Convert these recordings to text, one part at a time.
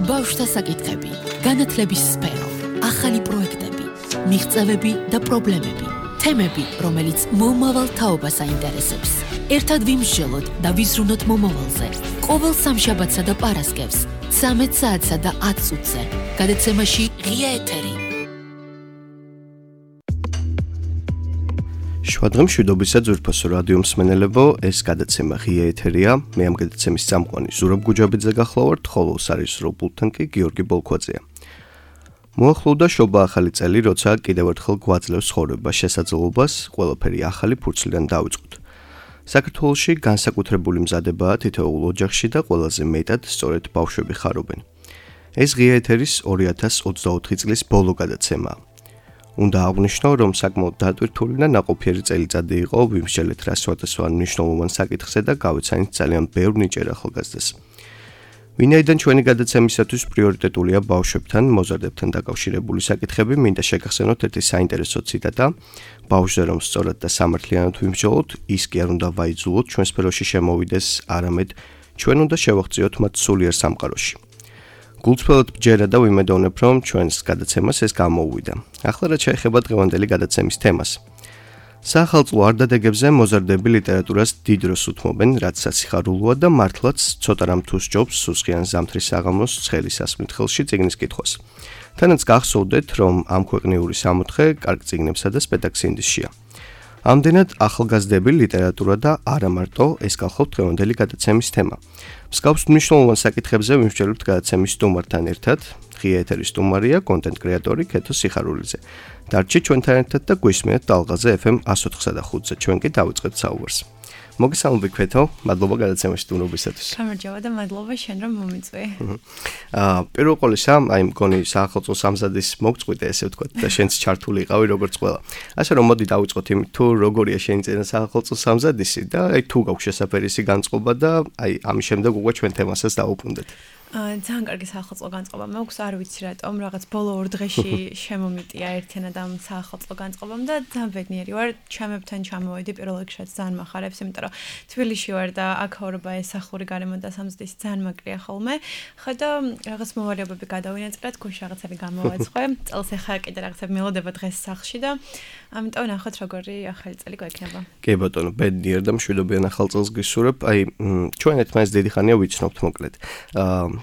ბავშვთა საკითხები, განათლების სფერო, ახალი პროექტები, მიღწევები და პრობლემები, თემები, რომელიც მომავალ თაობას აინტერესებს. ერთად ვიმსჯელოთ და ვიზრუნოთ მომავალზე. ყოველ სამშაბათსა და პარასკევს, 13 საათსა და 10 წუთზე. გადაცემაში ღია ეთერი. შვადღემ მშვიდობისა ძვირფასო რადიო მსმენელებო, ეს გადაცემა ღია ეთერია. მე ამ გადაცემის წამყვანი ზურაბ გუჯაბიძე გახლავართ, ხოლო სარისრო პულტთან კი გიორგი ბოლქვაძეა. მოახლოვდა შობა ახალი წელი, როცა კიდევ ერთხელ გვაძლევს ცხოვრება შესაძლებლობას, ყველაფერი ახალი ფურცლიდან დავიწყოთ. საქართველოში განსაკუთრებული მზადებაა თითოეულ ოჯახში და ყველაზე მეტად სწორედ ბავშვები ხარობენ. ეს ღია ეთერის 2024 წლის ბოლო გადაცემაა. უნდა აღვნიშნო, რომ საკმაოდ დატვირთული და ნაყოფიერი წელიწადი იყო ვიმსჯელეთ რა სხვადასხვა მნიშვნელოვან საკითხზე და გავეცანით ძალიან ბევრ ნიჭიერ ახალგაზრდას. ვინაიდან ჩვენი გადაცემისათვის პრიორიტეტულია ბავშვებთან, მოზარდებთან დაკავშირებული საკითხები, მინდა შეგახსენოთ ერთი საინტერესო ციტატა. ბავშვზე რომ სწორად და სამართლიანად ვიმსჯელოთ, ის კი არ უნდა ვაიძულოთ ჩვენ სფეროში შემოვიდეს, არამედ ჩვენ უნდა შევაღწიოთ მათ სულიერ სამყაროში. გულწრფელად ბჯერა და ვიმედოვნებ, რომ ჩვენს გადაცემას ეს გამოუვიდა. ახლა რაც შეეხება დღევანდელი გადაცემის თემას. საახალწლო არდადეგებზე მოზარდები ლიტერატურას დიდ დროს უთმობენ, რაც სასიხარულოა და მართლაც ცოტა რამ თუ სჯობს სუსხიან ზამთრის საღამოს ცხელი სასმით ხელში წიგნის კითხვას. თანაც გახსოვდეთ, რომ ამ ქვეყნიური სამოთხე კარგ წიგნებსა და სპეტაქსინდისშია. ამდენად ახალგაზრდები ლიტერატურა და არა მარტო ეს გახლავთ დღევანდელი გადაცემის თემა. მსგავს მნიშვნელოვან საკითხებზე ვიმსჯელებთ გადაცემის სტუმართან ერთად. ღია ეთერის სტუმარია კონტენტ კრეატორი ქეთო სიხარულიძე. დარჩით ჩვენთან ერთად და გვისმენთ ტალღაზე FM 104.5-ზე. ჩვენ კი დავიწყებთ საუბარს. მოგესალმები ქეთო, მადლობა გადაცემაში სტუმრობისათვის. გამარჯობა და მადლობა შენ რომ მომიწვი. პირველ ყოვლისა, მგონი საახალწლო სამზადის მოგწყვიტე, ესე ვთქვათ, და შენც ჩართული იყავი როგორც ყველა. ასე რომ მოდი დავიწყოთ იმით, თუ როგორია შენი წინა საახალწლო სამზადისი და თუ გაქვს შესაძლებელისი განწყობა და ამის შემდეგ უკვე ჩვენ თემასაც დავუბრუნდეთ. ძალიან კარგი საახალწლო განწყობა მაქვს, არ ვიცი რატომ, რაღაც ბოლო 2 დღეში შემომიტია ერთიანად ამ საახალწლო განწყობამ და ძალიან ბედნიერი ვარ, ჩემებთან ჩამოვედი პირველ რიგშიც ძალიან მახარებს, იმიტომ რომ თბილისში ვარ და აქაურობა ეს სახლური გარემო და სამზადისი ძალიან მაკლია ხოლმე. ხედა რაღაც მოვალეობები გადავინაწილე, გუშინ რაღაცები გამოვაცხე, წელს ახლა კიდე რაღაცები მელოდება დღეს სახლში და ამიტომ ნახოთ როგორი ახალი წელი გვექნება. კი ბატონო, ბედნიერ და მშვიდობიან ახალ წელს გისურვებ. ჩვენ ერთმანეთს დიდი ხანია ვიცნობთ მოკლედ.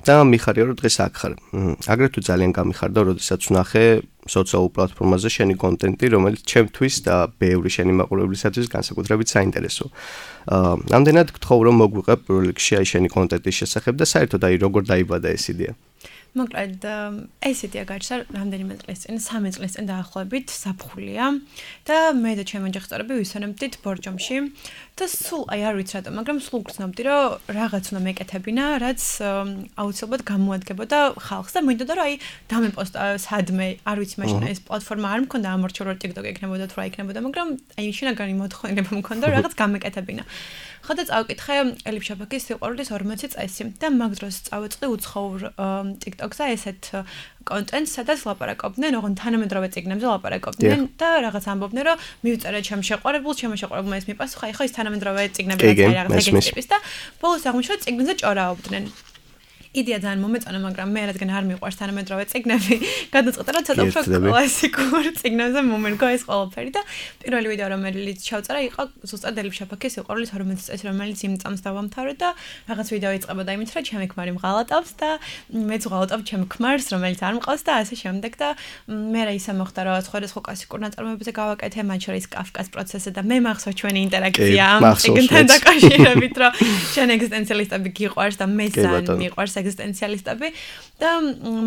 და მიხარია რომ დღეს აქ ხარ. აგრეთვე ძალიან გამიხარდა, როდესაც ვნახე სოციალურ პლატფორმაზე შენი კონტენტი, რომელიც ჩემთვის და ბევრი შენი მაყურებლისათვის განსაკუთრებით საინტერესო. ამდენად გთხოვ რომ მოგვიყევ პირველ რიგში შენი კონტენტის შესახებ და საერთოდ როგორ დაიბადა ეს იდეა. მოკლედ ეს იდეა გაჩნდა რამდენიმე წლის წინ, 3 წლის წინ დაახლოებით საფხულია და მე და ჩემი ოჯახსწორები ვისვენებდით ბორჯომში და სულ არ ვიცი რატომ, მაგრამ სულ გრძნობდი რომ რაღაც უნდა მეკეთებინა, რაც აუცილებლად გამოადგებოდა ხალხს და მინდოდა რომ დამეპოსტა სადმე, არ ვიცი მაშინ ეს პლატფორმა არ მქონდა ამორჩო რომ TikTok ექნებოდა თუ რა ექნებოდა, მაგრამ შინაგანი მოთხოვნილება მქონდა რომ რაღაც გამეკეთებინა. ხოდა წავკითხე ელიფ შაფაკის სიყვარულის 40 წესი და მაგ დროს წავეწყდი უცხოურ TikTok-ზე ესეთ კონტენტს, სადაც ლაპარაკობდნენ, ოღონდ თანამედროვე წიგნებზე ლაპარაკობდნენ და რაღაც ამბობდნენ, რომ მივწერე ჩემ შეყვარებულს, ჩემ შეყვარებულმა ეს მიპასუხა, ეხლა ის თანამედროვე წიგნები რაღაც ეგეთი ტიპის და ბოლოს აღმოჩნდა წიგნზე ჭორაობდნენ. იდეა ძალიან მომეწონა, მაგრამ მე რადგან არ მიყვარს თანამედროვე წიგნები, გადაწყვეტა რომ ცოტა უფრო კლასიკურ წიგნებზე მომერგო ეს ყველაფერი და პირველი ვიდეო რომელიც ჩავწერა იყო ზუსტად ელიფ შაფაკის სიყვარულის 40 წესი, რომელიც იმ წამს დავამთავრე და რაღაც ვიდეო იწყებოდა იმით, რომ ჩემი ქმარი მღალატავს და მეც ვღალატავ ჩემ ქმარს, რომელიც არ მყავს და ასე შემდეგ და მე რა ისე მოხდა რომ სხვადასხვა კლასიკურ ნაწარმოებებზე გავაკეთე, მათ შორის კაფკას პროცესი და მე მახსოვს ჩვენი ინტერაქცია ამ წიგნთან დაკავშირებით, რომ შენ ეგზისტენციალისტები გიყვარს და მე ძალიან მიყვარს ეგზისტენციალისტები და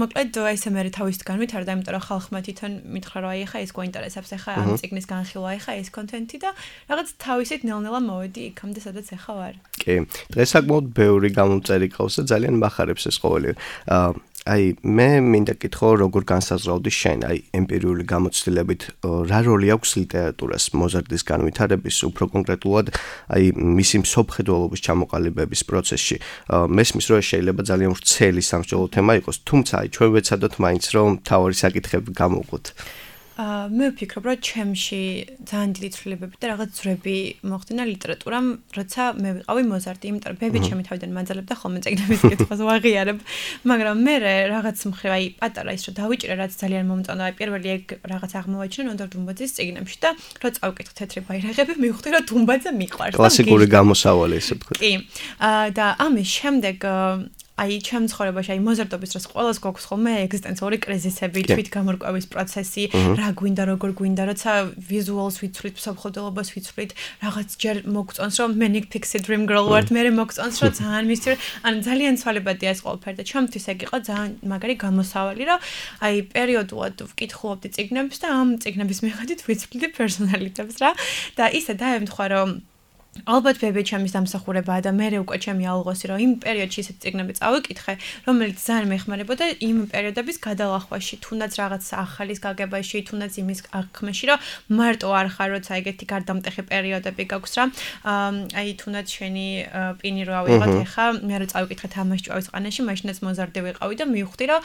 მოკლედ ესე მე თავისით განვითარდა, იმიტომ რომ ხალხმა თვითონ მითხრა რომ ახლა ეს გვაინტერესებს, ახლა ამ წიგნის განხილვა, ახლა ეს კონტენტი და რაღაც თავისით ნელ-ნელა მოვედი იქამდე, სადაც ახლა ვარ. კი, დღეს საკმაოდ ბევრი გამომწერი ყავს და ძალიან მახარებს ეს ყოველი. მე მინდა კითხო, როგორ განსაზღვრავდი შენ, ემპირიული გამოცდილებით, რა როლი აქვს ლიტერატურას მოზარდის განვითარების, უფრო კონკრეტულად, მისი მსოფლმხედველობის ჩამოყალიბების პროცესში. მესმის, რომ შეიძლება ძალიან ვრცელი სამსჯელო თემა იყოს, თუმცა ჩვენ ვეცადოთ მაინც რომ მთავარი საკითხები გამოვყოთ. მე ვფიქრობ, რომ ჩემში ძალიან დიდი ცვლილებები და რაღაც ძვრები მოხდინა ლიტერატურამ, როცა მე ვიყავი მოზარდი, იმიტომ რომ ბები ჩემი თავიდან მაძალებდა ხოლმე წიგნების კითხვას ვაღიარებ, მაგრამ მე რაღაც მხრივ აი პატარა ის რომ დავიჭირე რაც ძალიან მომწონდა, აი პირველი ეგ რაღაც აღმოვაჩინე ნონდორ დუმბაძის წიგნებში და რო წავკითხე თეთრი ბაირაღები, მივხვდი რომ დუმბაძე მიყვარს. კლასიკური გამოსავალი ესე ვთქვათ. კი. და ამის შემდეგ აი ჩემ ცხოვრებაში აი მოზარდობის დროს ყველას გვაქვს ხოლმე ეგზისტენციური კრიზისები, თვითგამორკვევის პროცესი, რა გვინდა, როგორ გვინდა, როცა ვიზუალს ვიცვლით, მსოფლმხედველობას ვიცვლით, რაღაც ჯერ მოგწონს რომ მე Nick Pixie Dream Girl ვარ, მე მოგწონს რომ ძალიან მისცი, ან ძალიან ცვალებადია ეს ყველაფერი და ჩემთვის ეგ იყო ძალიან მაგარი გამოსავალი, რომ აი პერიოდულად ვკითხულობდი წიგნებს და ამ წიგნების მიხედვით ვიცვლიდი პერსონალიტეტებს რა და ისე დაემთხვა რომ ალბათ ბები ჩემის დამსახურებაა და მე უკვე ჩემი ალღოსი რომ იმ პერიოდში ისეთ წიგნები წავიკითხე, რომელიც ძალიან მეხმარებოდა იმ პერიოდების გადალახვაში, თუნდაც რაღაც ახალის გაგებაში, თუნდაც იმის აღქმაში, რომ მარტო არ ხარ, როცა ეგეთი გარდამტეხი პერიოდები გაქვს რა. აი თუნდაც შენი პინი რო ავიღოთ ეხა, მე რო წავიკითხე თამაში ჭვავის ყანაში, მაშინაც მოზარდი ვიყავი და მივხვდი რომ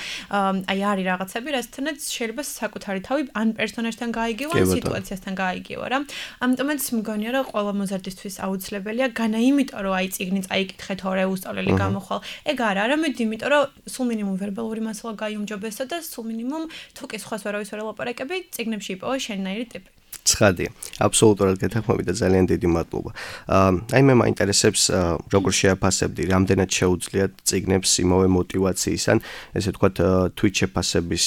აი არის რაღაცები, რასთანაც შეიძლება საკუთარი თავი ან პერსონაჟთან გაიგიო, ან სიტუაციასთან გაიგიო რა. ამიტომაც მგონია რომ ყველა მოზარდისთვის აუცილებელია განა იმიტომ რომ აი წიგნი წაიკითხე თორე უსწავლელი გამოხვალ ეგ არა არამედ იმიტომ რომ სულ მინიმუმ ვერბალური მასალა გაიუმჯობესო და სულ მინიმუმ თუ კი სხვას ვერავის ვერ ელაპარაკები წიგნებში იპოვა შენნაირი ტიპი ცხადია აბსოლუტურად გეთანხმები და ძალიან დიდი მადლობა აი მე მაინტერესებს როგორ შეაფასებდი რამდენად შეუძლიათ წიგნებს იმავე მოტივაციის ან ესე ვთქვათ თვით შეფასების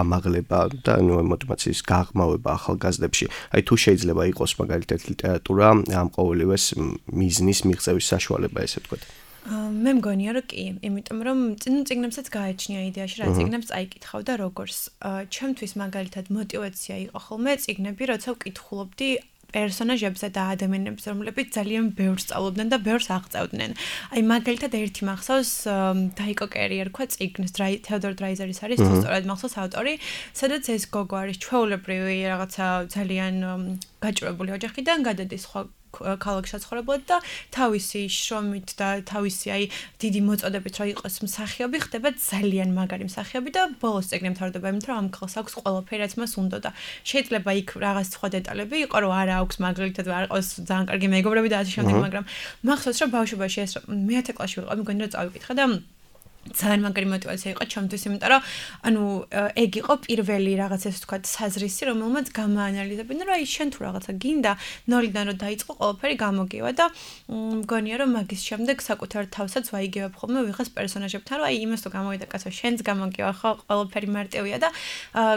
ამაღლება და ნუ მოტივაციის გაღრმავება ახალგაზრდებში აი თუ შეიძლება იყოს მაგალითად ლიტერატურა ამ ყოველივეს მიზნის მიღწევის საშუალება ესე ვთქვათ მე მგონია რომ კი, იმიტომ რომ წიგნებსაც გააჩნია იდეაში რა წიგნებს წაიკითხავ და როგორც ჩემთვის მაგალითად მოტივაცია იყო ხოლმე წიგნები, როცა ვკითხულობდი პერსონაჟებზე და ადამიანებს, რომლებიც ძალიან ბევრს სწავლობდნენ და ბევრს აღწევდნენ. აი მაგალითად ერთი მახსოვს დაიკო კერი ერქვა წიგნს, თეოდორ დრაიზერის არის თუ სწორად მახსოვს ავტორი, სადაც ეს გოგო არის ჩვეულებრივი რაღაცა ძალიან გაჭირვებული ოჯახიდან გადადის სხვა ქალაქში საცხოვრებლად და თავისი შრომით და თავისი აი დიდი მოწოდებით რა იყოს მსახიობი ხდება ძალიან მაგარი მსახიობი და ბოლოს წიგნი მთავრდება იმით რომ ამ ქალს აქვს ყველაფერი რაც მას უნდა და შეიძლება იქ რაღაც სხვა დეტალები იყო რომ არა აქვს მაგალითად არ ყავს ძალიან კარგი მეგობრები და ასე შემდეგ მაგრამ მახსოვს რომ ბავშვობაში ეს მე-10 კლასში ვიყავ მგონი რომ წავიკითხე და ძალიან მაგარი მოტივაცია იყო ჩემთვის, იმიტომ რომ ანუ ეგ იყო პირველი რაღაც ესე ვთქვათ საზრისი, რომელმაც გამაანალიზებინა, რომ აი შენ თუ რაღაცა გინდა, ნოლიდან რომ დაიწყო ყველაფერი გამოგივა და მგონია რომ მაგის შემდეგ საკუთარ თავსაც ვაიგებებ ხოლმე ვიღას პერსონაჟებთან, რომ აი იმას თუ გამოვიდა კაცო, შენც გამოგივა ხო, ყველაფერი მარტივია და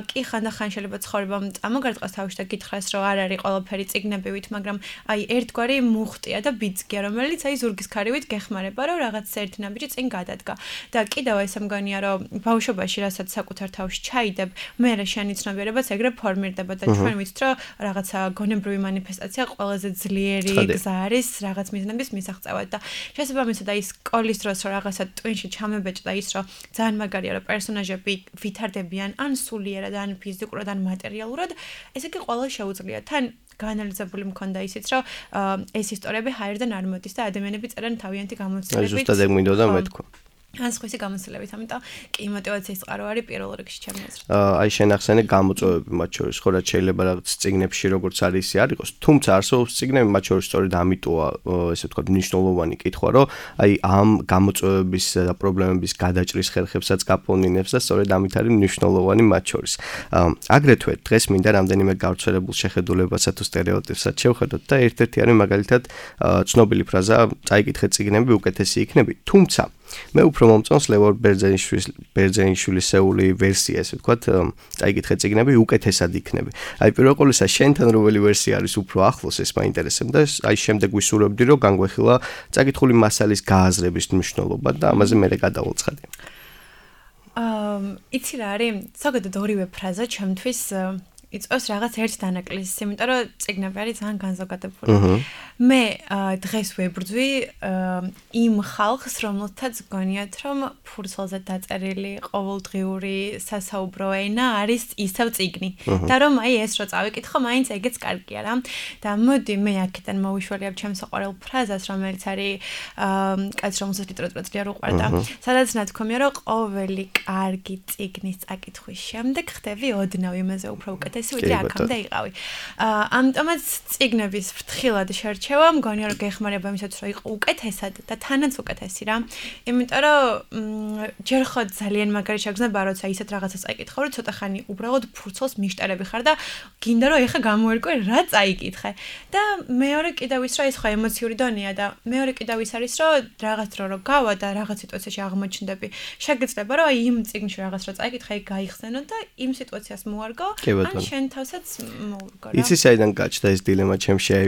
კი ხანდახან შეიძლება ცხოვრებამ წამოგარტყას თავში და გითხრას, რომ არ არის ყველაფერი წიგნებივით, მაგრამ აი ერთგვარი მუხტია და ბიძგია, რომელიც აი ზურგის ქარივით გეხმარება, რომ რაღაც ერთი ნაბიჯი წინ გადადგა. და კიდევ ესე მგონია რომ ბავშვობაში რასაც საკუთარ თავში ჩაიდებ, მე შენი ცნობიერებაც ეგრე ფორმირდება და ჩვენ ვიცით რომ რაღაცა გონებრივი მანიფესტაცია ყველაზე ძლიერი გზა არის რაღაც მიზნების მისაღწევად და შესაბამისად აი სკოლის დროს რომ რაღაცა ტვინში ჩამებეჭდა ის რომ ძალიან მაგარია რომ პერსონაჟები ვითარდებიან ან სულიერად ან ფიზიკურად ან მატერიალურად, ესე იგი ყველა შეუძლია თან გაანალიზებული მქონდა ისიც რომ ეს ისტორიები ჰაერიდან არ მოდის და ადამიანები წერენ თავიანთი გამოცდილებით. აი ზუსტად ეგ მინდოდა მეთქვა. ან სხვისი გამოცდილებით, ამიტომ კი мотиваციის წყარო არის პირველ რიგში ჩემი აზრით. აი შენ ახსენე გამოწვევები მათ შორის, ხო რაც შეიძლება რაღაც წიგნებში როგორც არის ისე არ იყოს, თუმცა არსებობს წიგნები მათ შორის სწორედ ამიტოა, ესე ვთქვათ, მნიშვნელოვანი კითხვა, რომ აი ამ გამოწვევების და პრობლემების გადაჭრის ხერხებსაც გაპონინებს და სწორედ ამით არის მნიშვნელოვანი მათ შორის. აგრეთვე დღეს მინდა რამდენიმე გავრცელებულ შეხედულებასა თუ სტერეოტიპსაც შევხედოთ და ერთ-ერთი არის მაგალითად ცნობილი ფრაზა წაიკითხე წიგნები უკეთესი იქნები, თუმცა მე უფრო მომწონს ლევორ ბერძენიშვილის ვერსია, ესე ვთქვათ, წაიკითხე წიგნები უკეთესად იქნები. აი პირველ ყოვლისა შენთან რომელი ვერსია არის უფრო ახლოს, ეს მაინტერესებდა. აი შემდეგ ვისურვებდი, რომ განგვეხილა წაკითხული მასალის გააზრების მნიშვნელობა და ამაზე მე გადავალცხადე. იცი რა არის? ზოგადად ორივე ფრაზა ჩემთვის იწვევს რაღაც ერთ დანაკლისს, იმიტომ რომ წიგნები არის ძალიან განზოგადებული. მე დღეს ვებრძვი იმ ხალხს, რომელთაც გონიათ, რომ ფურცელზე დაწერილი ყოველდღიური სასაუბრო ენა არის ისევ წიგნი. და რომ აი ეს რო წავიკითხო, მაინც ეგეც კარგია რა. და მოდი მე აქედან მოვიშველიებ ჩემს საყვარელ ფრაზას, რომელიც არის კაც რომელსაც ლიტერატურა ძლიერ უყვარდა. სადაც ნათქვამია, რომ ყოველი კარგი წიგნის წაკითხვის შემდეგ ხდები ოდნავ იმაზე უფრო უკეთეს უდიდესი ვიდრე აქამდე იყავი. ამიტომაც წიგნების ფრთხილად შერჩევა მგონია რომ გეხმარება იმისაც რომ იყო უკეთესად და თანაც უკეთესი რა. იმიტომ რომ ჯერ ხო ძალიან მაგარი შეგრძნება როცა ისეთ რაღაცას წაიკითხავ რომ ცოტა ხანი უბრალოდ ფურცელს მიშტერები ხარ და გინდა რომ ეხა გამოერკვე რა წაიკითხე. და მეორე კიდევ ის რომ ეს ხო ემოციური დონეა და მეორე კიდევ ის არის რომ რაღაც დრო რო გავა და რაღაც სიტუაციაში აღმოჩნდები. შეგეძლება რომ იმ წიგნში რაღაც რა წაიკითხე გაიხსენო და იმ სიტუაციას მოარგო ან შენ თავსაც მოურგო რა. იცი საიდან გაჩნდა ეს დილემა ჩემში აი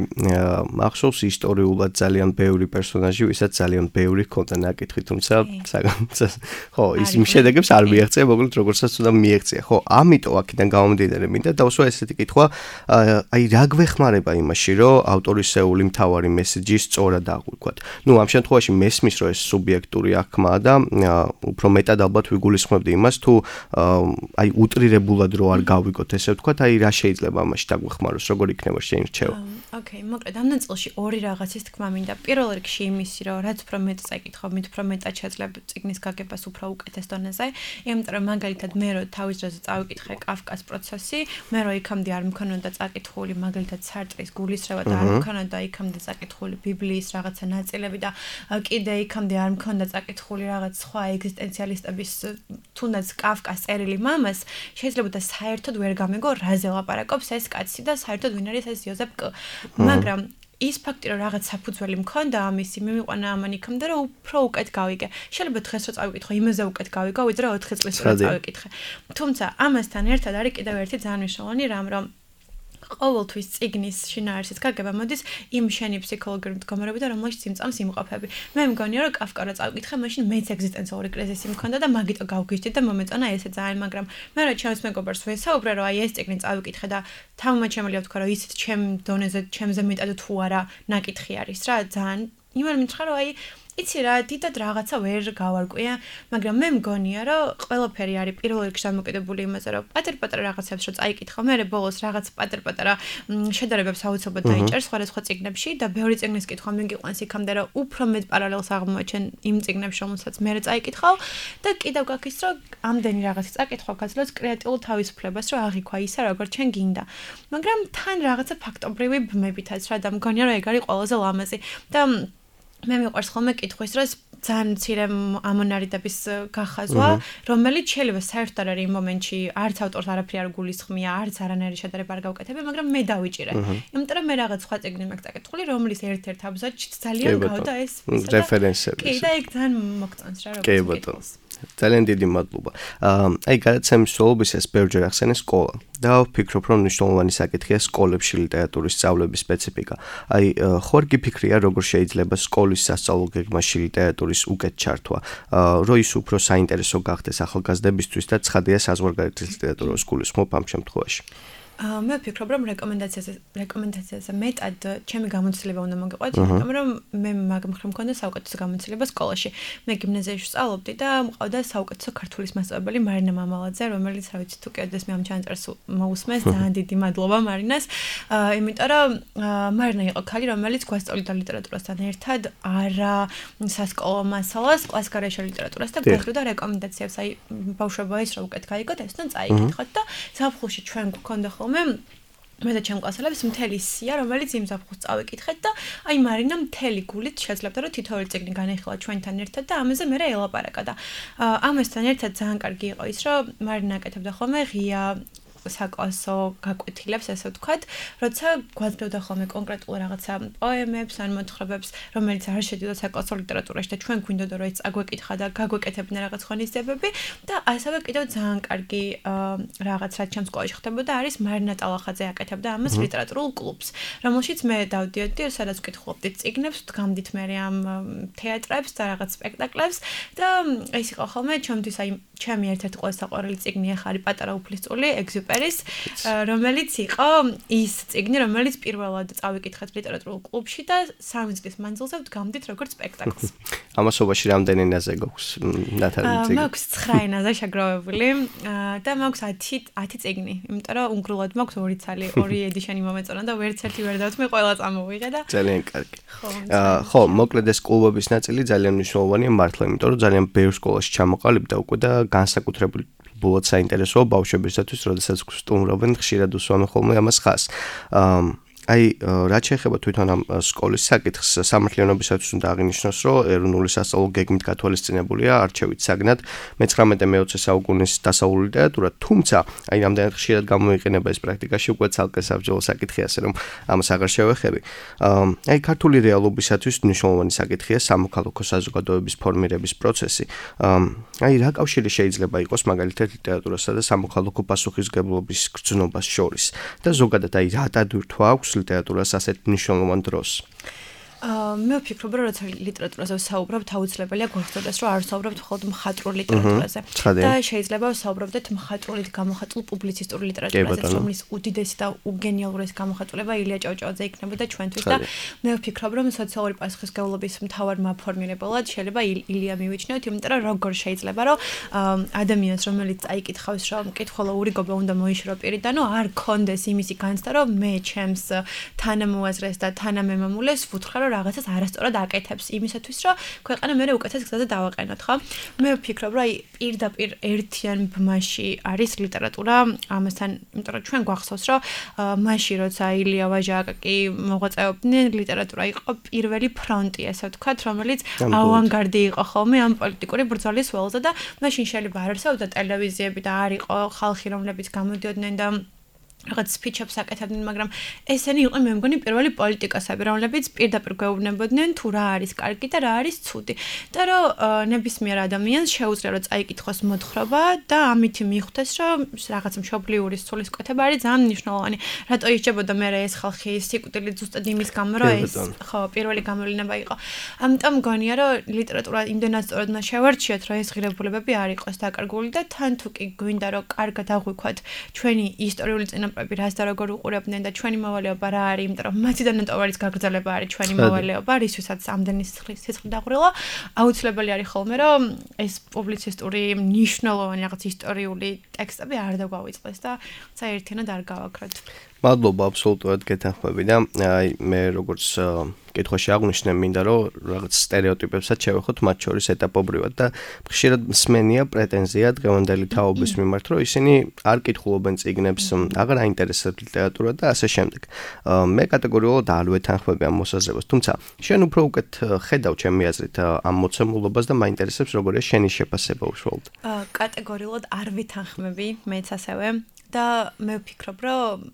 მახსოვს ისტორიულად ძალიან ბევრი პერსონაჟი ვისაც ძალიან ბევრი ჰქონდა ნაკითხი თუმცა ხო ის შედეგებს არ მიაღწია მოკლედ როგორცაც უნდა მიაღწია ხო ამიტომ აქედან გამომდინარე მინდა დავსვა ესეთი კითხვა აი რა გვეხმარება იმაში რომ ავტორისეული მთავარი მესეჯი სწორად აღვიქვათ ნუ ამ შემთხვევაში მესმის რომ ეს სუბიექტური აღქმაა და უფრო მეტად ალბათ ვიგულისხმებდი იმას თუ აი უტრირებულად რო არ გავიგოთ ესე ვთქვათ აი რა შეიძლება ამაში დაგვეხმაროს როგორ იქნება შენი რჩევა ოკეი მოკლედ ამ ნაწილში ორი რაღაცის თქმა მინდა პირველ რიგში იმისი რომ რაც უფრო მეტ წაიკითხავ მით უფრო მეტად შეძლებ წიგნის გაგებას უფრო უკეთეს დონეზე იმიტომ რომ მაგალითად მე რო თავის დროზე წავიკითხე კაფკას პროცესი მე რო იქამდე არ მქონოდა წაკითხული მაგალითად სარტრის გულისრევა და არ მქონოდა იქამდე წაკითხული ბიბლიის რაღაცა ნაწილები და კიდე იქამდე არ მქონდა წაკითხული რაღაც სხვა ეგზისტენციალისტების თუნდაც კაფკას წერილი მამას შეიძლება და საერთოდ ვერ გამეგო რაზე ლაპარაკობს ეს კაცი და საერთოდ ვინ არის ეს იოზეფ კ მაგრამ ის ფაქტი რომ რაღაც საფუძველი მქონდა ამისი მიმიყვანა ამან იქამდე რომ უფრო უკეთ გავიგე შეიძლება დღეს რო წავიკითხო იმაზე უკეთ გავიგო ვიდრე 4 წლის რო წავიკითხე თუმცა ამასთან ერთად არის კიდევ ერთი ძალიან მნიშვნელოვანი რამ რომ ყოველთვის წიგნის შინაარსის გაგება მოდის იმ შენი ფსიქოლოგიური მდგომარეობიდან რომელშიც იმწამს იმყოფები მე მგონია რომ კაფკა რო წავიკითხე მაშინ მეც ეგზისტენციალური კრიზისი მქონდა და მაგიტო გავგიჟდი და მომეწონა ესე ძალიან მაგრამ მე რა ჩემს მეგობარს ვესაუბრე რომ აი ეს წიგნი წავიკითხე და თამამად შემიძლია ვთქვა რომ ისიც ჩემ დონეზე ჩემზე მეტად თუ არა ნაკითხი არის რა ძალიან იმერ მითხრა რომ აი იცი რა დიდად რაღაცა ვერ გავარკვია მაგრამ მე მგონია რომ ყველაფერი არის პირველ რიგში დამოკიდებული იმაზე რომ პატარ-პატარა რაღაცებს რო წაიკითხავ მე ბოლოს რაღაც პატარ-პატარა შედარებებს აუცილებლად დაიჭერ სხვადასხვა წიგნებში და ბევრი წიგნის კითხვა მიგიყვანს იქამდე რომ უფრო მეტ პარალელს აღმოაჩენ იმ წიგნებში რომელსაც მე წაიკითხავ და კიდევ გაქის რომ ამდენი რაღაცის წაკითხვა გაძლევს კრეატიულ თავისუფლებას რომ აღიქვა ისა როგორც ჩვენ გინდა მაგრამ თან რაღაცა ფაქტობრივი ბმებითაც რა და მგონია რომ ეგ არის ყველაზე ლამაზი და მე მიყვარს ხოლმე კითხვის დროს ძალიან მცირე ამონარიდების გახაზვა, რომელიც შეიძლება საერთოდ არ არის იმ მომენტში არც ავტორს არაფერი არ გულისხმია, არც არანაირი შედარება არ გავუკეთებია, მაგრამ მე დავიჭირე. იმიტომ რომ მე რაღაც სხვა წიგნი მაქვს წაკითხული, რომლის ერთ-ერთ აბზაცში ძალიან გავდა ეს რეფერენსები. კი, და ეგ ძალიან მოგწონს რა, როგორც ძალიან დიდი მადლობა. აი გადაცემის სრულობის ეს ბევრჯერ ახსენე სკოლა და ვფიქრობ რომ მნიშვნელოვანი საკითხია სკოლებში ლიტერატურის სწავლების სპეციფიკა. აი ხوار გიფიქრია როგორ შეიძლება სკოლის სასწავლო გეგმაში ლიტერატურის უკეთ ჩართვა, რომ ის უფრო საინტერესო გახდეს ახალგაზრდებისთვის და ცხადია საზღვარგარეთის ლიტერატურას გულისხმობ ამ შემთხვევაში. მე ვფიქრობ რომ რეკომენდაციაზე მეტად ჩემი გამოცდილება უნდა მოგიყვეთ, იმიტომ რომ მე მაგ მხრივ მქონდა საუკეთესო გამოცდილება სკოლაში. მე გიმნაზიაში ვსწავლობდი და მყავდა საუკეთესო ქართულის მასწავლებელი მარინა მამალაძე, რომელიც რა ვიცი თუ კიდეს მე ამ ჩანწერს მოусმეს, ძალიან დიდი მადლობა მარინას. იმიტომ რომ მარინა იყო ქალი, რომელიც გვასწავლიდა ლიტერატურასთან ერთად არა სასკოლო მასალას, კლასიკარაშა ლიტერატურას და გვახრდა რეკომენდაციებს, აი ბავშვებო ეს რა უკეთ გაიგოთ, ეს თან წაიკითხოთ და ზაფხულში ჩვენ გვქონდა მე და ჩემ კლასელებს მთელი სია, რომელიც იმ ზაფხულს წავიკითხეთ და აი მარინა მთელი გულით შეძლებდა რომ თითოეული წიგნი განეხილა ჩვენთან ერთად და ამაზე მე ელაპარაკა და ამასთან ერთად ძალიან კარგი იყო ის რომ მარინა აკეთებდა ხოლმე ღია საკლასო გაკვეთილებს, ესე ვთქვათ, როცა გვაძლევდა ხოლმე კონკრეტულ რაღაცა პოემებს ან მოთხრობებს, რომელიც არ შედიოდა საკლასო ლიტერატურაში და ჩვენ გვინდოდა რომ ეს აგვეკითხა და გაგვეკეთებინა რაღაც ღონისძიებები და ასევე კიდევ ძალიან კარგი რაღაც რაც ჩემ სკოლაში ხდებოდა არის მარინა ტალახაძე აკეთებდა ამას ლიტერატურულ კლუბს, რომელშიც მე დავდიოდი, სადაც ვკითხულობდი წიგნებს, ვდგამდით მე ამ თეატრებს და რაღაც სპექტაკლებს და ეს იყო ხოლმე ჩემთვის აი ჩემი ერთ-ერთი ყველაზე საყვარელი წიგნი ახლა არის პატარა უფლისწული ეგზიუპერის, რომელიც იყო ის წიგნი, რომელიც პირველად წავიკითხეთ ლიტერატურულ კლუბში და 3 წლის მანძილზე ვდგამდით როგორც სპექტაკლს. ამასობაში რამდენი ენაზე გაქვს ნათალი წიგნი? მაქვს 9 ენაზე შეგროვებული და მაქვს 10 წიგნი, იმიტომ რომ უნგრულად მაქვს 2 ცალი, 2 ედიშენი მომეწონა და ვერც ერთი ვერ დავთმე, ყველა წამოვიღე და ძალიან კარგი. ხო, მოკლედ ეს კლუბების ნაწილი ძალიან მნიშვნელოვანია მართლა, იმიტომ რომ ძალიან ბევრ სკოლაში ჩამოყალიბდა უკვე და განსაკუთრებული ბოლოდ საინტერესოა ბავშვებისათვის, როდესაც სტუმრობენ, ხშირად უსვამენ ხოლმე ამას ხაზს. აი, რაც შეეხება თვითონ ამ სკოლის საკითხს, სამართლიანობისათვის უნდა აღინიშნოს, რომ ეროვნული სასწავლო გეგმით გათვალისწინებულია არჩევით საგნად მე-19-მე-20 საუკუნის დასავლური ლიტერატურა, თუმცა აი რამდენად ხშირად გამოიყენება ეს პრაქტიკაში, უკვე ცალკე საბრძოლო საკითხია, ასე რომ ამას აღარ შევეხები. აი, ქართული რეალობისათვის მნიშვნელოვანი საკითხია სამოქალაქო საზოგადოების ფორმირების პროცესი. აი, რა კავშირი შეიძლება იყოს მაგალითად ლიტერატურასა და სამოქალაქო პასუხისმგებლობის გრძნობას შორის და ზოგადად აი რა დადვირთვა აქვს ლიტერატურას ასეთ მნიშვნელოვან დროს. მე ვფიქრობ, რომ როცა ლიტერატურაზე ვსაუბრობთ, აუცილებელია გვახსოვდეს, რომ არ ვსაუბრობთ მხოლოდ მხატვრულ ლიტერატურაზე. და შეიძლება ვსაუბრობდეთ მხატვრულად გამოხატულ პუბლიცისტურ ლიტერატურაზე, რომლის უდიდესი და უგენიალურესი გამოხატულება ილია ჭავჭავაძე იქნებოდა ჩვენთვის და მე ვფიქრობ, რომ სოციალური პასუხისმგებლობის მთავარ მაფორმირებელად შეიძლება ილია მივიჩნევთ, იმიტომ რომ როგორ შეიძლება, რომ ადამიანს, რომელიც წაიკითხავს, რომ მკითხველო ურიგობა უნდა მოიშორო პირიდან, არ კონდეს იმისი განცდა, რომ მე ჩემს თანამოაზრეს და თანამემამულეს ვუთხრა, რომ რაღაცას არასწორად აკეთებს იმისათვის, რომ ქვეყანა მერე უკეთეს გზაზე დავაყენოთ, ხო? მე ვფიქრობ, რომ აი პირდაპირ ერთიან ბმაში არის ლიტერატურა ამასთან, იმიტომ რომ ჩვენ გვახსოვს, რომ მაშინ როცა ილია ვაჟაკაკი მოღვაწეობდნენ, ლიტერატურა იყო პირველი ფრონტი, ასე ვთქვათ, რომელიც ავანგარდი იყო ხოლმე ამ პოლიტიკური ბრძოლის ველზე და მაშინ შეიძლება არ არსებობდა ტელევიზიები და არ იყო ხალხი, რომლებიც გამოდიოდნენ და რაღაც სპიჩებს აკეთებდნენ, მაგრამ ესენი იყვნენ მე მგონი პირველი პოლიტიკოსები, რომლებიც პირდაპირ გვეუბნებოდნენ თუ რა არის კარგი და რა არის ცუდი. და რომ ნებისმიერ ადამიანს შეუძლია რომ წაიკითხოს მოთხრობა და ამით მიხვდეს, რომ რაღაც მშობლიური სულისკვეთება არის ძალიან მნიშვნელოვანი. რატო ისჯებოდა მე ეს ხალხი სიკვდილით ზუსტად იმის გამო, რომ ეს ხო პირველი გამოვლინება იყო. ამიტომ მგონია, რომ ლიტერატურა იმდენად სწორად უნდა შევარჩიოთ, რომ ეს ღირებულებები არ იყოს დაკარგული და თან თუ კი გვინდა რომ კარგად აღვიქვათ ჩვენი ისტორიული წინაპრები რას და როგორ უყურებდნენ და ჩვენი მოვალეობა რა არის, იმიტომ რომ მათიდან ნატოვარის გაგრძელება არის ჩვენი მოვალეობა, რისთვისაც ამდენი სიცხლი დაღვრილა, აუცილებელი არის ხოლმე, რომ ეს პუბლიცისტური მნიშვნელოვანი რაღაც ისტორიული ტექსტები არ დაგვავიწყდეს და საერთიანად არ გავაქროთ. მადლობა, აბსოლუტურად გეთანხმები და აი მე როგორც კითხვაში აღვნიშნე, მინდა რომ რაღაც სტერეოტიპებსაც შევეხოთ მათ შორის ეტაპობრივად და ხშირად მსმენია პრეტენზია დღევანდელი თაობის მიმართ, რომ ისინი არ კითხულობენ წიგნებს, აღარ აინტერესებთ ლიტერატურა და ასე შემდეგ. მე კატეგორიულად არ ვეთანხმები ამ მოსაზრებას, თუმცა შენ უფრო უკეთ ხედავ ჩემი აზრით ამ მოცემულობას და მაინტერესებს როგორია შენი შეფასება უშუალოდ. კატეგორიულად არ ვეთანხმები, მეც ასევე. და მე ვფიქრობ, რომ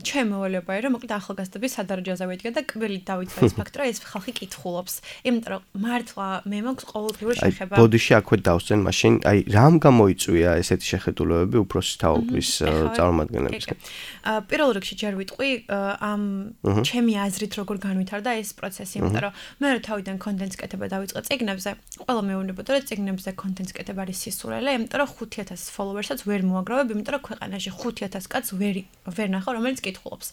ჩემი მოვალეობა არის, რომ მოკლედ ახალგაზრდების სადარაჯოზე ვედგა და კბილით დავიწყე ეს ფაქტი, რომ ეს ხალხი კითხულობს. იმიტომ რომ მართლა მე მაქვს ყოველდღიური შეხება. აი, ბოდიში აქვე დავსწენ მაშინ, აი, რამ გამოიწვია ესეთი შეხედულებები უფროსი თაობის წარმომადგენლებისგან? პირველ რიგში ჯერ ვიტყვი ამ ჩემი აზრით როგორ განვითარდა ეს პროცესი, იმიტომ რომ მე რა თავიდან კონტენტს კეთება დავიწყე წიგნებზე, ყველა მეუბნებოდა, რომ წიგნებზე კონტენტს კეთება არის სისურელე, იმიტომ რომ 5000 ფოლოვერსაც ვერ მოაგროვებ, იმიტომ რომ ქვეყანაში 5000 კაცს ვერ ნახავ, რომელიც კითხულობს.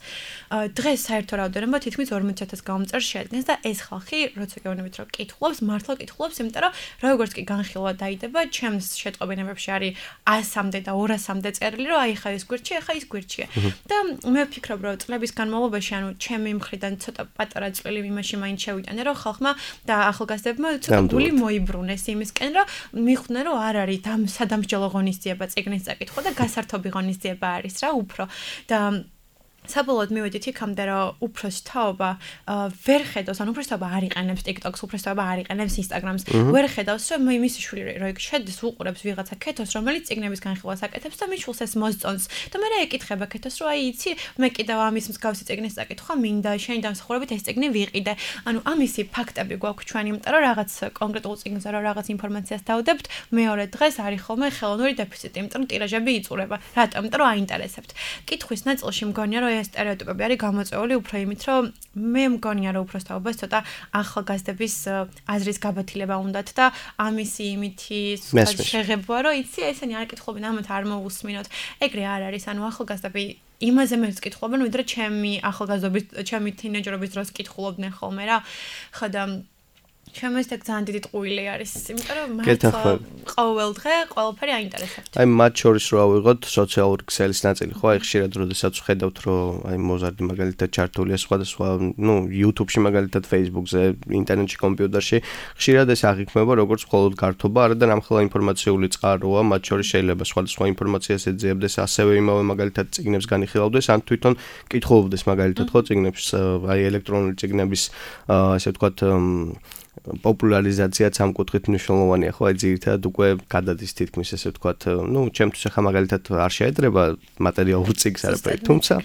დღეს საერთო რაოდენობა თითქმის 40000 გამომწერ შეადგენს და ეს ხალხი, როცა გეუბნებით, რომ კითხულობს, მართლა კითხულობს, იმიტომ რომ როგორც კი განხილვა დაიდება, ჩემს შეტყობინებებში არის 100-მდე და 200-მდე წერილი, რომ აი ხა ეს გვერდში, ხა ის გვერდშია. და მე ვფიქრობ, რომ წლების განმავლობაში, ანუ ჩემი მხრიდან ცოტა პატარა წვლილი იმაში მაინც შევიტანე, რომ ხალხმა და ახალგაზრდებმა ცოტა გული მოიბრუნეს იმისკენ, რომ მიხვდნენ, რომ არ არის სადამსჯელო ღონისძიება წიგნის წაკითხვა და გასართობი ღონისძიება არის რა უფრო და საბოლოოდ მივედით იქამდე, რომ უფროსი თაობა ვერ ხედავს, ანუ უფროსი თაობა არ იყენებს TikTok-ს, უფროსი თაობა არ იყენებს Instagram-ს, ვერ ხედავს, რომ მისი შვილი რო შედის უყურებს ვიღაცა ქეთოს, რომელიც წიგნების განხილვას აკეთებს და მიშულს ეს მოსწონს. და მე რა ეკითხება ქეთოს, რომ აი იცი, მე კიდევ ამის მსგავსი წიგნის წაკითხვა მინდა, შენი დამსახურებით ეს წიგნი ვიყიდე. ანუ ამისი ფაქტები გვაქვს ჩვენი, იმიტომ რომ რაღაც კონკრეტულ წიგნზე რო რაღაც ინფორმაციას დავდებთ, მეორე დღეს არის ხოლმე ხელოვნური დეფიციტი, იმიტომ რომ ტირაჟები იწურება. რატომ? იმიტომ რომ აინტერესებთ. კითხვის ნაწილში მგონია, რომ ეს სტერეოტიპები არის გამოწვეული უფრო იმით, რომ მე მგონია, რომ უფროს თაობას ცოტა ახალგაზრდების აზრის გაბათილება უნდათ და ამისი იმითი შეღებვა, რომ იცი, ესენი არ კითხულობენ, ამათ არ მოусმინოთ. ეგრე არ არის, ანუ ახალგაზრდები იმაზე მეც კითხულობენ, ვიდრე ჩემი ახალგაზრდობის, ჩემი თინეჯერობის დროს კითხულობდნენ ხოლმე რა. ხოდა ჩემს ეგ ძალიან დიდი ტყუილი არის, იმიტომ რომ მართლა ყოველ დღე ყველაფერი აინტერესებთ. აი მათ შორის რო ავიღოთ სოციალური ქსელის ნაწილი, ხო, აი ხშირად როდესაც ვხედავთ, რომ აი მოზარდი მაგალითად ჩართულია სხვადასხვა, YouTube-ში მაგალითად Facebook-ზე, ინტერნეტში, კომპიუტერში, ხშირად ეს აღიქმება როგორც მხოლოდ გართობა, არადა რამხელა ინფორმაციული წყაროა, მათ შორის შეიძლება სხვადასხვა ინფორმაციას ეძიებდეს, ასევე იმავე მაგალითად წიგნებს განიხილავდეს, ან თვითონ კითხულობდეს მაგალითად ხო წიგნებს, აი ელექტრონული წიგნების ასე ვთქვათ პოპულარიზაციაც ამ კუთხით მნიშვნელოვანია, ხო, აი ძირითადად უკვე გადადის თითქმის ესე ვთქვათ, ჩემთვის ახლა მაგალითად არ შეედრება მატერიალურ წიგნს არაფერი, თუმცა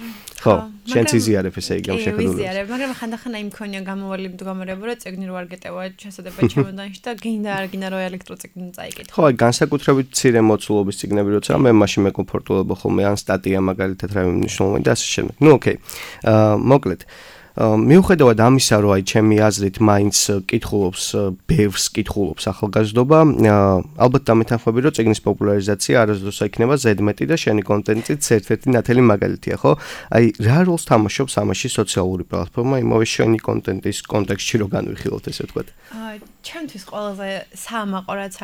ხო, შენც იზიარებ ესე იგი ამ შეხედულებას. იზიარებ, მაგრამ ხანდახან აი მქონია გამოვალი მდგომარეობა, რომ წიგნი რო არ გეტევა ჩასადება ჩემოდანში და გინდა არ გინდა რო ელექტროწიგნი წაიკითხო. ხო, აი განსაკუთრებით მცირე მოცულობის წიგნები როცა მე მაშინ მეკომფორტულობა ხოლმე ან სტატია მაგალითად რა მნიშვნელოვანი და ასე შემდეგ. ოკეი. მოკლედ მიუხედავად ამისა, რომ აი ჩემი აზრით მაინც ბევრს კითხულობს ახალგაზრდობა, ალბათ დამეთანხმები, რომ წიგნის პოპულარიზაცია არასდროს იქნება ზედმეტი და შენი კონტენტიც ერთ-ერთი ნათელი მაგალითია, ხო? აი რა როლს თამაშობს ამაში სოციალური პლატფორმა, იმავე შენი კონტენტის კონტექსტში რო განვიხილოთ, ესე ვთქვათ. ჩემთვის ყველაზე საამაყო რაც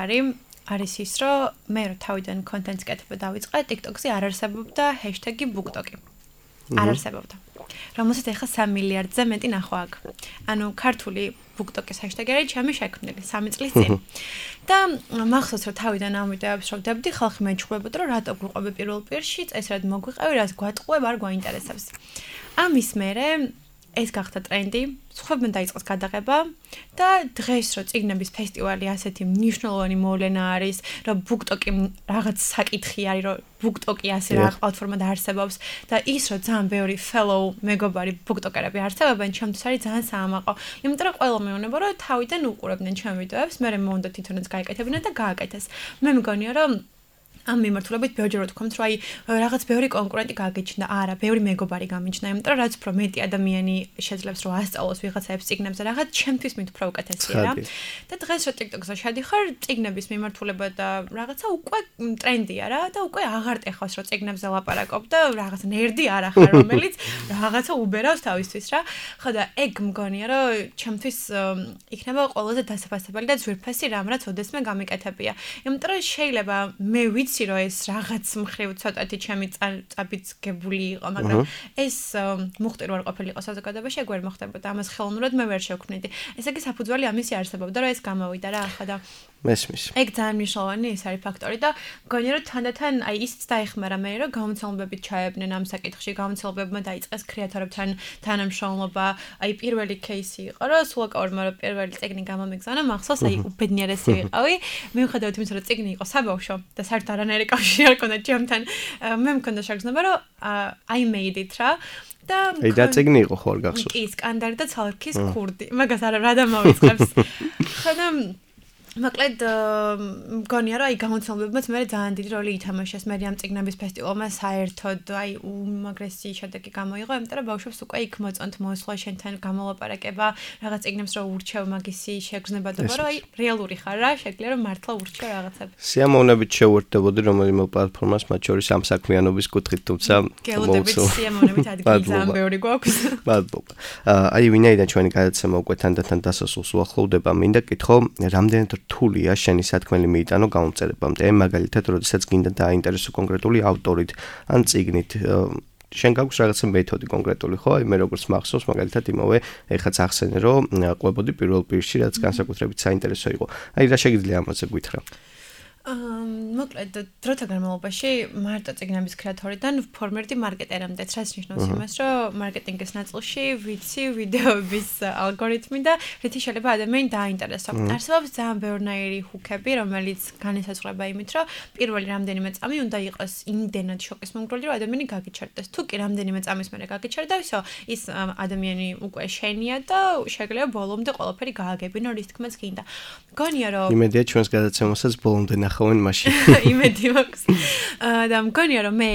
არის ის, რომ მე რო თავიდან კონტენტს კეთება დავიწყე, TikTok-ზე არ არსებობდა ჰეშტეგი BookTok. არ არსებობდა. რომელსაც ახლა 3 მილიარდზე მეტი ნახვა აქვს. ანუ ქართული BookTok-ის ჰეშტეგი არის ჩემი შექმნილი 3 წლის წინ. და მახსოვს რომ თავიდან ამ ვიდეოებს რო ვდებდი, ხალხი მეჩხუბებოდა, რომ რატო გვიყვები პირველ პირში, წესრად მოგვიყევი, რაც გვატყუებ, არ გვაინტერესებს. ამის მერე ეს გახდა ტრენდი, სხვებმა დაიწყეს გადაღება და დღეს რო წიგნების ფესტივალი ასეთი მნიშვნელოვანი მოვლენა არის, რომ BookTok-ი რაღაც საკითხი არის, რომ BookTok-ი ასე რა პლატფორმა დაარსებობს და ის რომ ძალიან ბევრი fellow მეგობარი BookTok-ერები არსებობენ, ჩემთვის არის ძალიან საამაყო. იმიტომ რომ ყველა მეუბნება, რომ თავიდან უყურებდნენ ჩემ ვიდეოებს, მე მომდა თვითონაც გააკეთებინა და გააკეთეს. მე მგონია რომ ამ მიმართულებით ბევრჯერ ვთქვამთ, რომ აი რაღაც ბევრი კონკურენტი გაგიჩნდა, არა, ბევრი მეგობარი გამიჩნდა, იმიტომ რომ რაც უფრო მეტი ადამიანი შეძლებს რომ ასწავლოს ვიღაცაებს წიგნებზე რაღაც, ჩემთვის მით უფრო უკეთესია რა. და დღეს რო TikTok-ზე შედიხარ, წიგნების მიმართულება და რაღაცა უკვე ტრენდია რა და უკვე აღარ ტეხავს რომ წიგნებზე ლაპარაკობ და რაღაც ნერდი არ ახარ, რომელიც რაღაცა უბერავს თავისთვის რა. ხო და ეგ მგონია რომ ჩემთვის იქნება ყველაზე დასაფასებელი და ძვირფასი რამ, რაც ოდესმე გამიკეთებია. იმიტომ რომ შეიძლება მე ვიცი რომ ეს რაღაც მხრივ ცოტათი ჩემი წაბიძგებული იყო, მაგრამ ეს მუხტი რო არ ყოფილიყო საზოგადოებაში, ეგ ვერ მოხდებოდა. ამას ხელოვნურად მე ვერ შევქმნიდი. ესე იგი საფუძველი ამისი არსებობდა, რომ ეს გამოვიდა რა ახლა და მესმის. ეგ ძალიან მნიშვნელოვანი ის არის ფაქტორი და მგონია რომ თანდათან აი ისიც დაეხმარა მე რომ გამოცდილებებით ჩაებნენ ამ საკითხში, გამოცდილებებმა დაიწყეს კრეატორებთან თანამშრომლობა, აი პირველი кейსი იყო რომ სულაკაურმა რომ პირველი წიგნი გამომიგზავნა, მახსოვს აი უბედნიერესი ვიყავი, მიუხედავად იმისა რომ წიგნი იყო საბავშვო და საერთოდ არანაირი კავშირი არ ჰქონდა ჩემთან, მე მქონდა შეგრძნება რომ I made it რა და აი და წიგნი იყო ხო არ გახსოვს? კი, სკანდარი და ცალკის ქურდი. მაგას რა დამავიწყებს. ხოდა მოკლედ მგონია რომ აი გამოცდილებებმაც მე ძალიან დიდი როლი ითამაშეს მე ამ წიგნების ფესტივალმა საერთოდ აი უმაგრესი შედეგი გამოიღო, იმიტომ რომ ბავშვებს უკვე იქ მოწონთ მოსვლა შენთან გამოლაპარაკება, რაღაც წიგნებს რო ურჩევ მაგისი შეგრძნებადობა, რომ აი რეალური ხარ რა, შეგვიძლია რომ მართლა ურჩევ რაღაცები. სიამოვნებით შევერთდებოდი რომელიმე პლატფორმას, მათ შორის ამ საქმიანობის კუთხით, თუმცა გელოდებით სიამოვნებით ადგილი ძალიან ბევრი გვაქვს. მადლობა. აი ვინაიდან ჩვენი გადაცემა უკვე თანდათან დასასრულს უახლოვდება, მინდა კითხო, რამდენად რთულია შენი სათქმელი მიიტანო გამომწერებამდე, მაგალითად, როდესაც გინდა დააინტერესო კონკრეტული ავტორით ან წიგნით, შენ გაქვს რაღაცა მეთოდი კონკრეტული, ხო? აი მე როგორც მახსოვს, მაგალითად იმავე ეხაც ახსენე, რომ ყვებოდი პირველ პირში, რაც განსაკუთრებით საინტერესო იყო. აი რა შეგიძლია ამაზე გითხრა? მოკლედ დროთა განმავლობაში მარტო წიგნების კრეატორიდან ფორმერდი მარკეტერამდეც რაც ნიშნავს იმას, რომ მარკეტინგის ნაწილში ვიცი ვიდეოების ალგორითმი და რითი შეიძლება ადამიანი დააინტერესო. არსებობს ძალიან ბევრნაირი ჰუკები, რომელიც განისაზღვრება იმით, რომ პირველი რამდენიმე წამი უნდა იყოს იმდენად შოკის მომგვრელი, რომ ადამიანი გაგიჩერდეს. თუ კი რამდენიმე წამის მერე გაგიჩერდა, ისო ის ადამიანი უკვე შენია და შეიძლება ბოლომდე ყველაფერი გააგებინო, რის თქმაც გინდა. მგონია რომ იმედია ჩვენს გადაცემასაც ბოლომდე ნახავთ დაიხოვენ მაშინ. იმედი მაქვს. და მგონია რომ მე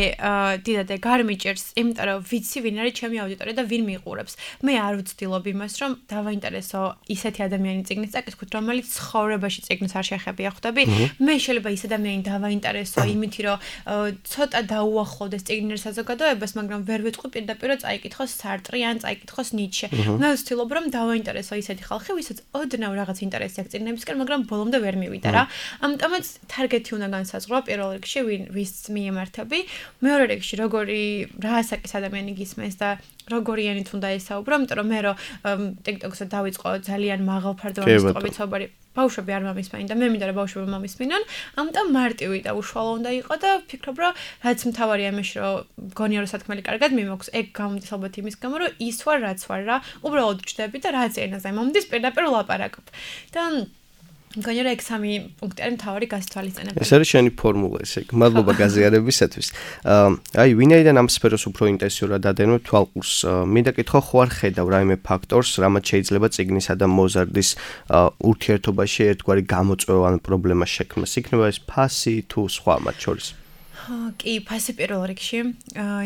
დიდად ეგ არ მიჭერს, იმიტომ რომ ვიცი ვინ არის ჩემი აუდიტორია და ვინ მიყურებს. მე არ ვცდილობ იმას რომ დავაინტერესო ისეთი ადამიანი წიგნის წაკითხით, რომელიც ცხოვრებაში წიგნს არ შეხებია ხვდები. მე შეიძლება ის ადამიანი დავაინტერესო იმით რომ ცოტა დაუახლოვდეს წიგნიერ საზოგადოებას, მაგრამ ვერ ვიტყვი პირდაპირ წაიკითხოს სარტრი ან წაიკითხოს ნიცშე. მე ვცდილობ რომ დავაინტერესო ისეთი ხალხი, ვისაც ოდნავ რაღაც ინტერესი აქვს წიგნებისკენ, მაგრამ ბოლომდე ვერ მივიდა რა. ამიტომაც თარგეტი უნდა განსაზღვრა პირველ რიგში, ვის მიემართები, მეორე რიგში როგორი რაასაკის ადამიანი გისმენს და როგორი ენით უნდა ესაუბრო, იმიტომ რომ მე რომ TikTok-ზე დავიწყო ძალიან მაღალფარდოვანი სტყობით საუბარი, ბავშვები არ მომისმენენ და მე მინდა რომ ბავშვები მომისმენონ, ამიტომ მარტივი და უშუალო უნდა იყო და ვფიქრობ რომ რაც მთავარია იმაში რომ გონია რომ სათქმელი კარგად მიმოქვს, ეგ გამოდის ალბათ იმის გამო რომ ის ვარ რაც ვარ რა, უბრალოდ ვჭდები და რაც ენაზე მომდის პირდაპირ ვლაპარაკობ. და მგონია რომ ეგ სამი პუნქტი არის მთავარი გასათვალისწინებელი. ეს არის შენი ფორმულა ესე. მადლობა გაზიარებისათვის. აი, ვინაიდან ამ სფეროს უფრო ინტენსიურად დადენებ თვალყურს, მინდა კითხო, ხო არ ხედავ რაიმე ფაქტორს, რამაც შეიძლება წიგნისა და მოზარდის ურთიერთობაში ერთგვარი გამოწვევა ან პრობლემა შექმნას. იქნება ეს ფასი თუ სხვა მათ შორის. კი, ფასი პირველ რიგში,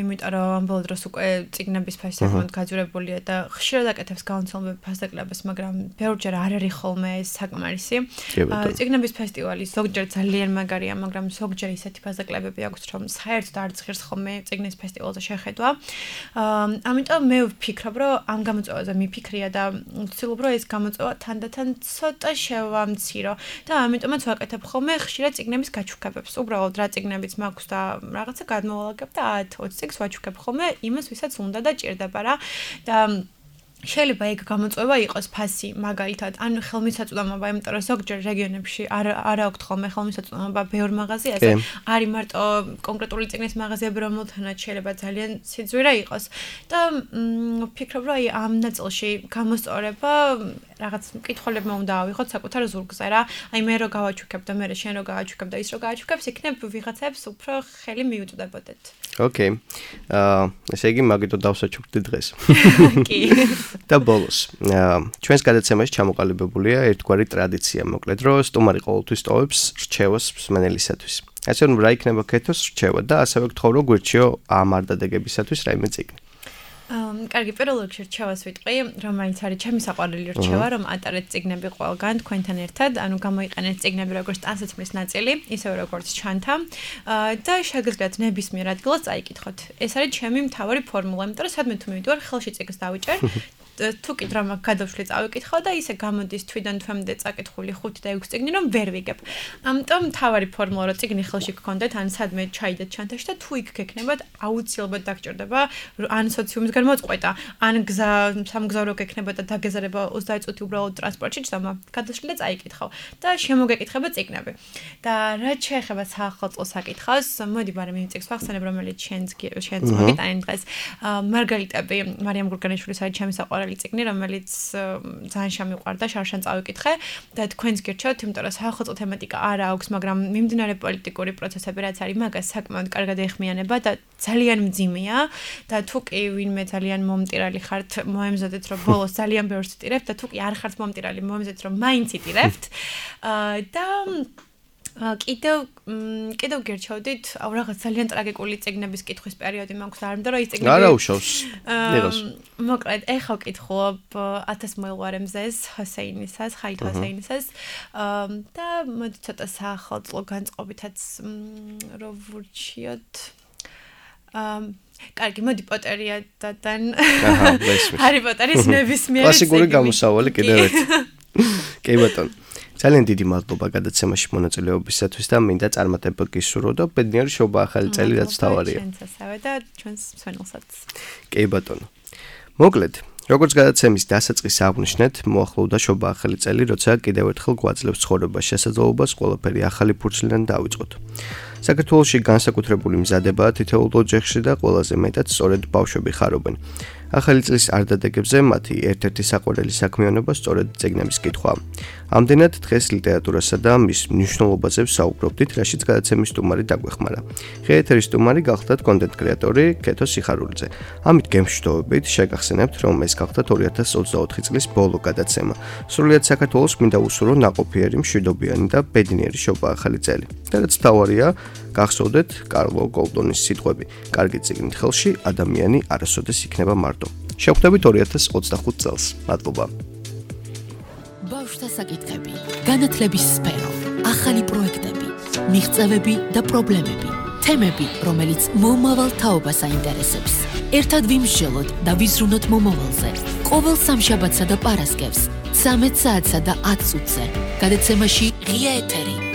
იმიტომ რომ ამ ბოლო დროს უკვე წიგნების ფასი საკმაოდ გაძვირებულია და ხშირად აკეთებს გაუნცელმდები ფასდაკლებას, მაგრამ ბევრჯერ არ არის ხოლმე ეს საკმარისი. წიგნების ფესტივალი ზოგჯერ ძალიან მაგარია, მაგრამ ზოგჯერ ისეთი ფასდაკლებები აქვს, რომ საერთოდ არ ცხირს ხოლმე წიგნის ფესტივალზე შეხედვა. ამიტომ მე ვფიქრობ, რომ ამ გამოწვევაზე მიფიქრია და ვცდილობ, რომ ეს გამოწვევა თანდათან ცოტა შევამცირო და ამიტომაც ვაკეთებ ხოლმე ხშირად წიგნების გაჩუქებებს. უბრალოდ რა წიგნებიც მაქვს და რაღაცა გადმოვალაგებ და 10-20 წიგნს ვაჩუქებ ხოლმე იმას, ვისაც უნდა და ჭირდება რა. და შეიძლება ეგ გამოწვევა იყოს ფასი მაგალითად, ან ხელმისაწვდომობა, იმიტომ რომ ზოგჯერ რეგიონებში არ აქვთ ხოლმე ხელმისაწვდომობა ბევრ მაღაზიაზე, არის მარტო კონკრეტული წიგნის მაღაზიები, რომელთანაც შეიძლება ძალიან სიძვირე იყოს. და ვფიქრობ, რომ აი ამ ნაწილში გამოსწორება რაღაც მკითხველებმა უნდა ავიღოთ საკუთარ ზურგზე რა. აი მე რო გავაჩუქებ და მე შენ რო გავაჩუქებ და ის რო გავაჩუქებს, იქნებ ვიღაცებს უფრო ხელი მიუწვდებოდეთ. ოკეი. ესე იგი მაგითო დავსაჩუქდი დღეს. კი. და ბოლოს, ჩვენს გადაცემაში ჩამოყალიბებულია ერთგვარი ტრადიცია, მოკლედ, რომ სტუმარი ყოველთვის ტოვებს რჩევას მსმენელისათვის. ასე რომ რა იქნება კეთოს რჩევა და ასევე გთხოვ რომ გვირჩიო ამ არდადეგებისათვის რაიმე წიგნი. კარგი, პირველ რიგში რჩევას ვიტყვი, რომელიც არის ჩემი საყვარელი რჩევა, რომ ატარეთ წიგნები ყველგან თქვენთან ერთად, ანუ გამოიყენეთ წიგნები როგორც ტანსაცმლის ნაწილი, ისევე როგორც ჩანთა და შეგიძლიათ ნებისმიერ ადგილას წაიკითხოთ. ეს არის ჩემი მთავარი ფორმულა, იმიტომ რომ სადმე თუ მივიდივარ, ხელში წიგნს დავიჭერ. თუ კი დრამა გადავშლი წავიკითხავ და ისე გამოდის თვიდან თვემდე წაკითხული 5 და 6 წიგნი რომ ვერ ვიგებ. ამიტომ თავარი ფორმულა რომ წიგნი ხელში გქონდეთ, ან სადმე ჩაიდეთ ჩანთაში და თუ იქ გექნებათ, აუცილებლად დაგჭირდება ან სოციუმისგან მოწყვეტა, ან გზა სამგზავრო გექნება და დაგეზარება 20 წუთი უბრალოდ ტრანსპორტში ჭამა, გადავშლი და წაიკითხავ და შემოგეკითხება წიგნები. და რაც შეეხება საახალწლო საკითხავს, მოდი ბარემ იმ წიგნს ვახსენებ, რომელიც შენც მოგიტანე დღეს. მარგალიტები, მარიამ გურგანიშვილის არის ჩემი საყვარელი წიგნი, რომელიც ძალიან შემიყვარდა, შარშან წავიკითხე და თქვენს გირჩევთ, იმიტომ რომ საახალწლო თემატიკა არა აქვს, მაგრამ მიმდინარე პოლიტიკური პროცესები რაც არის, მაგას საკმაოდ კარგად ეხმიანება და ძალიან მძიმეა და თუ კი ვინმე ძალიან მომტირალი ხართ, მოემზადეთ რომ ბოლოს ძალიან ბევრს ვტირებთ და თუ კი არ ხართ მომტირალი, მოემზადეთ რომ მაინც იტირებთ. და კიდევ გერჩევდით, რაღაც ძალიან ტრაგიკული წიგნების კითხვის პერიოდი მაქვს და არ მინდა რომ ის წიგნები არა უშავს. იღოს. მოკლედ, ეხლა ვკითხულობ 1000 მოელვარე მზეს ჰოსეინისას, ხაით ჰოსეინისას და მოდი ცოტა საახალწლო განწყობითაც რო ვურჩიოთ. კარგი, მოდი პოტერია დადან. ჰარი პოტერის ნებისმიერი წიგნი. კლასიკური გამოსავალი კიდევ ერთი. კი ბატონო. ძალიან დიდი მადლობა გადაცემაში მონაწილეობისათვის და მინდა წარმატება გისურვო და ბედნიერი შობა ახალი წელი რაც თავარია. ჩვენც ასევე და ჩვენს მსმენელსაც. კი ბატონო. მოკლედ, როგორც გადაცემის დასაწყისს აღნიშნეთ, მოახლოვდა შობა ახალი წელი, როცა კიდევ ერთხელ გვაძლევს ცხოვრებას შესაძლებლობას ყველაფერი ახალი ფურცლიდან დავიწყოთ. საქართველოში განსაკუთრებული მზადებაა თითოეულ ოჯახში და ყველაზე მეტად სწორედ ბავშვები ხარობენ. ახალი წლის არდადეგებზე მათი ერთ-ერთი საყვარელი საქმიანობა სწორედ წიგნების კითხვაა. ამდენად დღეს ლიტერატურასა და მის მნიშვნელობაზე ვსაუბრობდით, რაშიც გადაცემის სტუმარი დაგვეხმარა. ღია სტუმარი გახლდათ კონტენტ კრეატორი კეთო სიხარულიძე. ამით გემშვიდობებით შეგახსენებთ, რომ ეს გახლდათ 2024 წლის ბოლო გადაცემა. სრულიად საქართველოს მინდა უსურვო ნაყოფიერი, მშვიდობიანი და ბედნიერი შობა ახალი წელი. და რაც მთავარია, გახსოვდეთ კარლო გოლდონის სიტყვები: კარგი წიგნით ხელში ადამიანი არასოდეს იქნება მარტო. შევხვდებით 2025 წელს. მადლობა. ბავშვთა საკითხები, განათლების სფერო, ახალი პროექტები, მიღწევები და პრობლემები, თემები, რომელიც მომავალ თაობას აინტერესებს. ერთად ვიმსჯელოთ და ვიზრუნოთ მომავალზე. ყოველ სამშაბათსა და პარასკევს 13 საათსა და 10 წუთზე. გადაცემაში ღია ეთერი.